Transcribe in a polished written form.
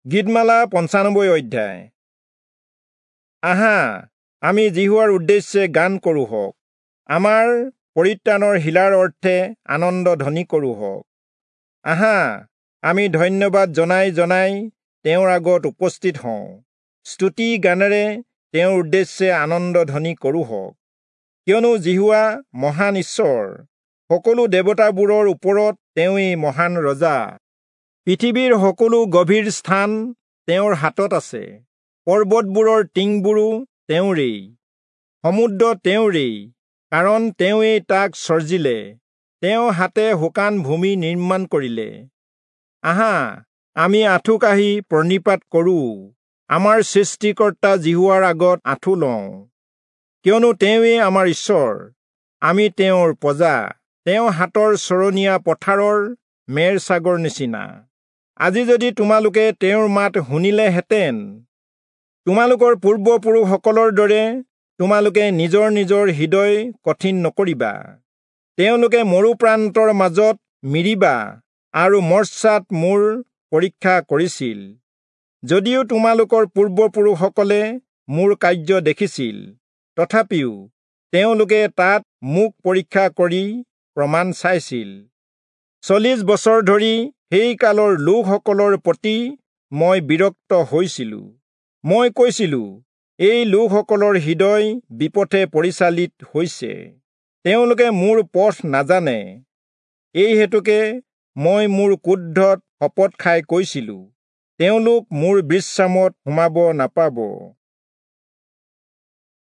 গীতমালা 95 অধ্যায়। আহা, আমি যিহোৱাৰ উদ্দেশ্যে গান কৰোঁহক, আমাৰ পৰিত্ৰাণৰ শিলাৰ অৰ্থে আনন্দ ধ্বনি কৰোঁহক। আহা, আমি ধন্যবাদ জনাই জনাই তেওঁৰ আগত উপস্থিত হওঁ, স্তুতি গানেৰে তেওঁৰ উদ্দেশ্যে আনন্দ ধ্বনি কৰোঁহক। কিয়নো যিহোৱা মহান ঈশ্বৰ, সকলো দেৱতাবোৰৰ ওপৰত তেওঁৱেই মহান ৰজা। পৃথিৱীৰ সকলো গভীৰ স্থান তেওঁৰ হাতত আছে, পৰ্বতবোৰৰ টিংবোৰো তেওঁৰেই, সমুদ্ৰ তেওঁৰেই, কাৰণ তেওঁৱেই তাক চৰ্জিলে, তেওঁ হাতে শুকান ভূমি নিৰ্মাণ কৰিলে। আহা, আমি আঁঠু কাঢ়ি প্ৰণিপাত কৰোঁ, আমাৰ সৃষ্টিকৰ্তা যিহোৱাৰ আগত আঁঠু লওঁ। কিয়নো তেওঁৱেই আমাৰ ঈশ্বৰ, আমি তেওঁৰ প্ৰজা, তেওঁ হাতৰ চৰণীয়া পথাৰৰ মেৰ ছাগৰ নিচিনা। আজি যদি তোমালোকে তেওঁৰ মাত শুনিলেহেঁতেন, তোমালোকৰ পূৰ্বপুৰুষসকলৰ দৰে তোমালোকে নিজৰ নিজৰ হৃদয় কঠিন নকৰিবা। তেওঁলোকে মৰুপ্ৰান্তৰ মাজত মিৰিবা আৰু মৰ্চাত মোৰ পৰীক্ষা কৰিছিল, যদিও তোমালোকৰ পূৰ্বপুৰুষসকলে মোৰ কাৰ্য দেখিছিল, তথাপিও তেওঁলোকে তাত মোক পৰীক্ষা কৰি প্ৰমাণ চাইছিল। 40 বছৰ ধৰি সেই কালৰ লোকসকলৰ প্ৰতি মই বিৰক্ত হৈছিলোঁ। মই কৈছিলোঁ, এই লোকসকলৰ হৃদয় বিপথে পৰিচালিত হৈছে, তেওঁলোকে মোৰ পথ নাজানে। এই হেতুকে মই মোৰ ক্ৰোধত শপত খাই কৈছিলোঁ, তেওঁলোক মোৰ বিশ্ৰামত সোমাব নাপাব।